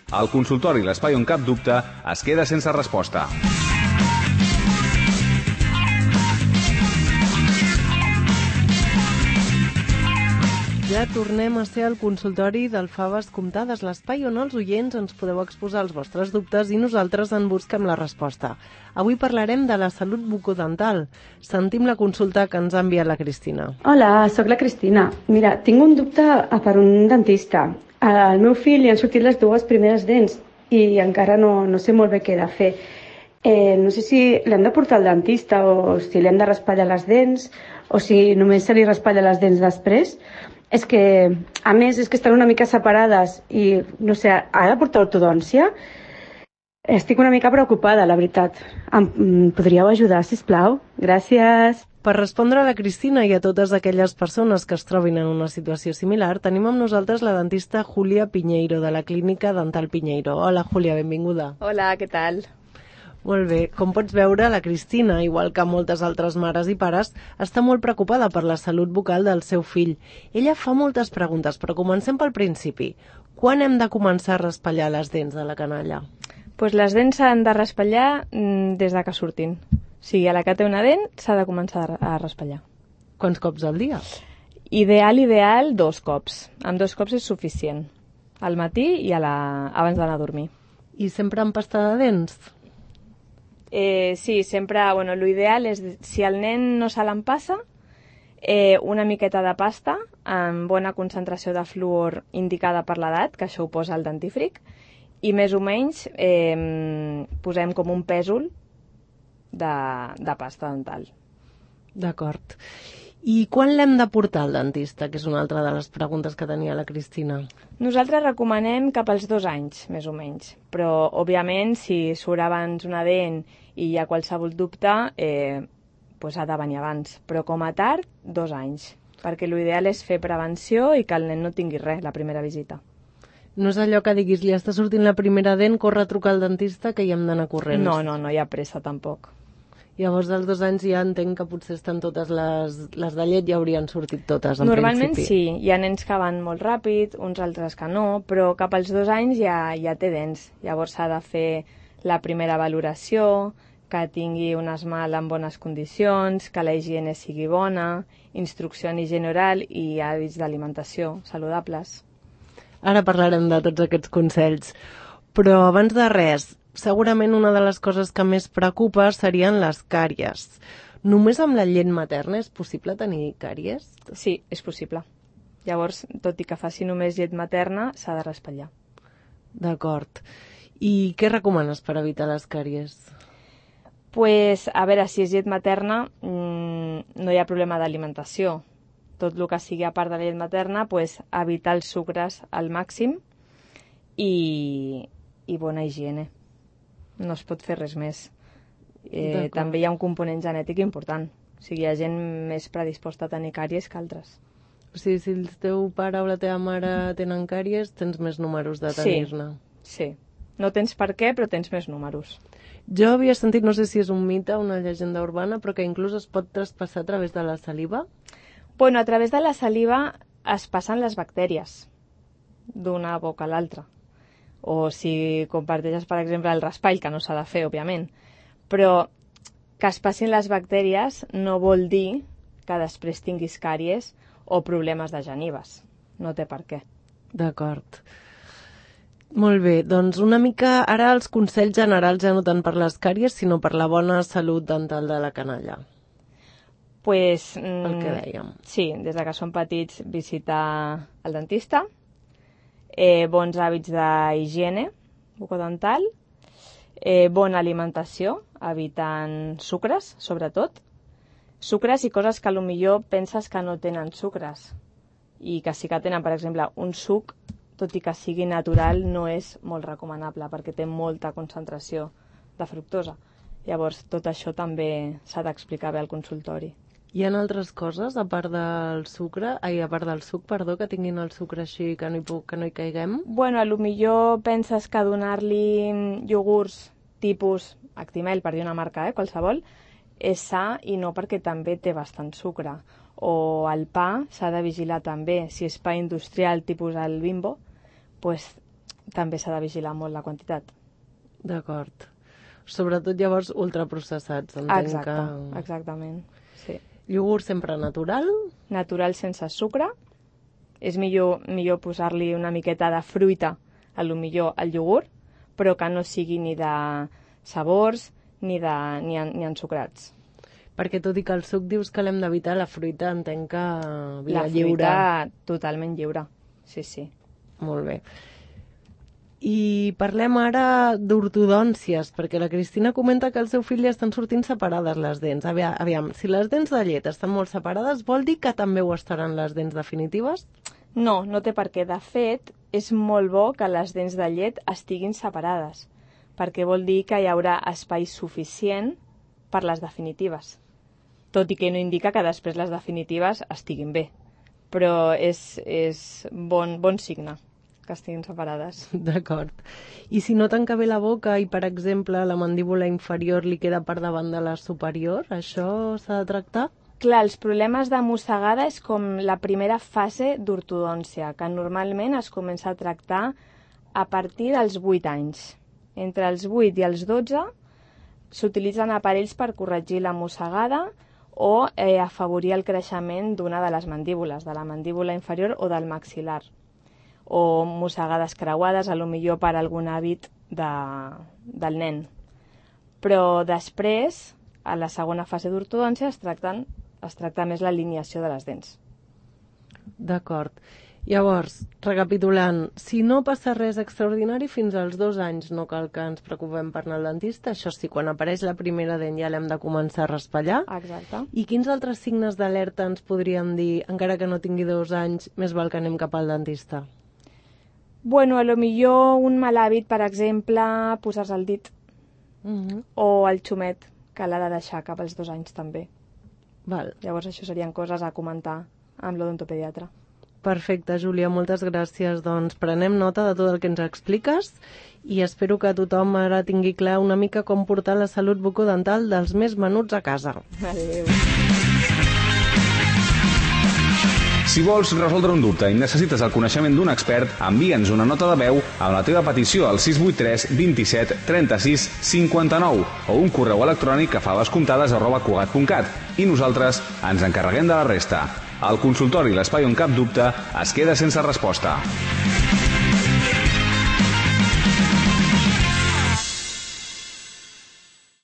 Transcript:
El consultori, l'espai on cap dubte, es queda sense resposta. Ja tornem a ser al consultori del Faves Comptades, l'espai on els oients ens podeu exposar els vostres dubtes i nosaltres en busquem la resposta. Avui parlarem de la salut bucodental. Sentim la consulta que ens ha enviat la Cristina. Hola, sóc la Cristina. Mira, tinc un dubte per un dentista. Al meu fill li han sortit les dues primeres dents i encara no sé molt bé què he de fer. No sé si l'hem de portar al dentista o si l'hem de raspallar les dents o si només se li raspalla les dents després. És que, a més, és que estan una mica separades i, no sé, ha de portar ortodòncia? Estic una mica preocupada, la veritat. Em podríeu ajudar, sisplau? Gràcies. Per respondre a la Cristina i a totes aquelles persones que es trobin en una situació similar, tenim amb nosaltres la dentista Júlia Piñeiro, de la Clínica Dental Piñeiro. Hola, Júlia, benvinguda. Hola, què tal? Molt bé. Com pots veure, la Cristina, igual que moltes altres mares i pares, està molt preocupada per la salut bucal del seu fill. Ella fa moltes preguntes, però comencem pel principi. Quan hem de començar a raspallar les dents de la canalla? Pues les dents s'han de raspallar des de que surtin. O sigui, a la que té una dent s'ha de començar a raspallar. Quants cops al dia? Ideal, 2 cops. Amb 2 cops és suficient. Al matí i abans d'anar a dormir. I sempre amb pasta de dents? Sí, sempre, l'ideal és, si el nen no se l'empassa, una miqueta de pasta amb bona concentració de fluor indicada per l'edat, que això ho posa el dentífric, i més o menys posem com un pèsol de pasta dental. D'acord. I quan l'hem de portar al dentista, que és una altra de les preguntes que tenia la Cristina? Nosaltres recomanem cap als 2 anys, més o menys. Però, òbviament, si surt abans una dent i hi ha qualsevol dubte, ha de venir abans. Però, com a tard, 2 anys. Perquè l'ideal és fer prevenció i que el nen no tingui res la primera visita. No és allò que diguis, li està sortint la primera dent, corre a trucar al dentista, que hi hem d'anar corrents. No hi ha pressa, tampoc. Llavors, dels 2 anys ja entenc que potser estan totes les de llet, ja haurien sortit totes, en Normalment principi. sí, hi ha nens que van molt ràpid, uns altres que no, però cap als 2 anys ja té dents. Llavors s'ha de fer la primera valoració, que tingui un esmalt en bones condicions, que la higiene sigui bona, instrucció en higiene oral i hàbits d'alimentació saludables. Ara parlarem de tots aquests consells, però abans de res, segurament una de les coses que més preocupa serien les càries. Només amb la llet materna és possible tenir càries? Sí, és possible. Llavors, tot i que faci només llet materna, s'ha de raspallar. D'acord. I què recomanes per evitar les càries? Pues, a veure, si és llet materna, no hi ha problema d'alimentació. Tot el que sigui a part de la llet materna, evitar els sucres al màxim i bona higiene. No es pot fer res més. També hi ha un component genètic important. O sigui, hi ha gent més predisposta a tenir càries que altres. O sigui, si el teu pare o la teva mare tenen càries, tens més números de tenir-ne. Sí. No tens per què, però tens més números. Jo havia sentit, no sé si és un mite o una llegenda urbana, però que inclús es pot traspassar a través de la saliva. A través de la saliva es passen les bactèries d'una boca a l'altra. O si comparteixes, per exemple, el raspall, que no s'ha de fer, òbviament. Però que es passin les bactèries no vol dir que després tinguis càries o problemes de genives. No té per què. D'acord. Molt bé, doncs una mica ara els consells generals ja no tant per les càries, sinó per la bona salut dental de la canalla. El que dèiem. Sí, des de que són petits, visitar el dentista, bons hàbits d'higiene bucodental, bona alimentació, evitant sucres, sobretot. Sucres i coses que potser penses que no tenen sucres i que sí que tenen, per exemple, un suc, tot i que sigui natural, no és molt recomanable perquè té molta concentració de fructosa. Llavors, tot això també s'ha d'explicar bé al consultori. Hi ha altres coses, a part del suc, que tinguin el sucre així, que no hi caiguem? Potser penses que donar-li iogurts tipus Actimel, per dir una marca, qualsevol, és sa i no, perquè també té bastant sucre. O el pa s'ha de vigilar també. Si és pa industrial tipus el Bimbo, també s'ha de vigilar molt la quantitat. D'acord. Sobretot llavors ultraprocessats, entenc Exacte, que... exactament. Sí. Iogurt sempre natural? Natural sense sucre. És millor posar-li una miqueta de fruita, a lo millor al iogurt, però que no sigui ni de sabors ni ensucrats. Perquè tot i que el suc dius que l'hem d'evitar, la fruita entenc que La fruita totalment lliure, sí, sí. Molt bé. I parlem ara d'ortodòncies, perquè la Cristina comenta que al seu fill li estan sortint separades les dents. Aviam, si les dents de llet estan molt separades, vol dir que també ho estaran les dents definitives? No, no té per què. De fet, és molt bo que les dents de llet estiguin separades, perquè vol dir que hi haurà espai suficient per les definitives. Tot i que no indica que després les definitives estiguin bé. Però és bon signe que estiguin separades. D'acord. I si no tanca bé la boca i, per exemple, la mandíbula inferior li queda per davant de la superior, això s'ha de tractar? Clar, els problemes de mossegada és com la primera fase d'ortodòncia, que normalment es comença a tractar a partir dels 8 anys. Entre els 8 i els 12 s'utilitzen aparells per corregir la mossegada o afavorir el creixement d'una de les mandíbules, de la mandíbula inferior o del maxil·lar, o mossegades creuades, a lo millor per algun hàbit del nen. Però després, a la segona fase d'ortodòncia, es tracta més l'alineació de les dents. D'acord. Llavors, recapitulant, si no passa res extraordinari fins als 2 anys no cal que ens preocupem per anar al dentista, això sí, quan apareix la primera dent ja l'hem de començar a raspallar. Exacte. I quins altres signes d'alerta ens podrien dir, encara que no tingui 2 anys, més val que anem cap al dentista? Bueno, a lo millor un mal hàbit, per exemple, posar-se el dit o el xumet, que l'ha de deixar cap als 2 anys també. Val. Llavors això serien coses a comentar amb l'odontopediatre. Perfecte, Júlia, moltes gràcies. Doncs prenem nota de tot el que ens expliques i espero que tothom ara tingui clar una mica com portar la salut bucodental dels més menuts a casa. Adéu. Si vols resoldre un dubte i necessites el coneixement d'un expert, envia'ns una nota de veu amb la teva petició al 683 27 36 59 o un correu electrònic a favascomptades@cugat.cat i nosaltres ens encarreguem de la resta. El consultori L'Espai on cap dubte es queda sense resposta.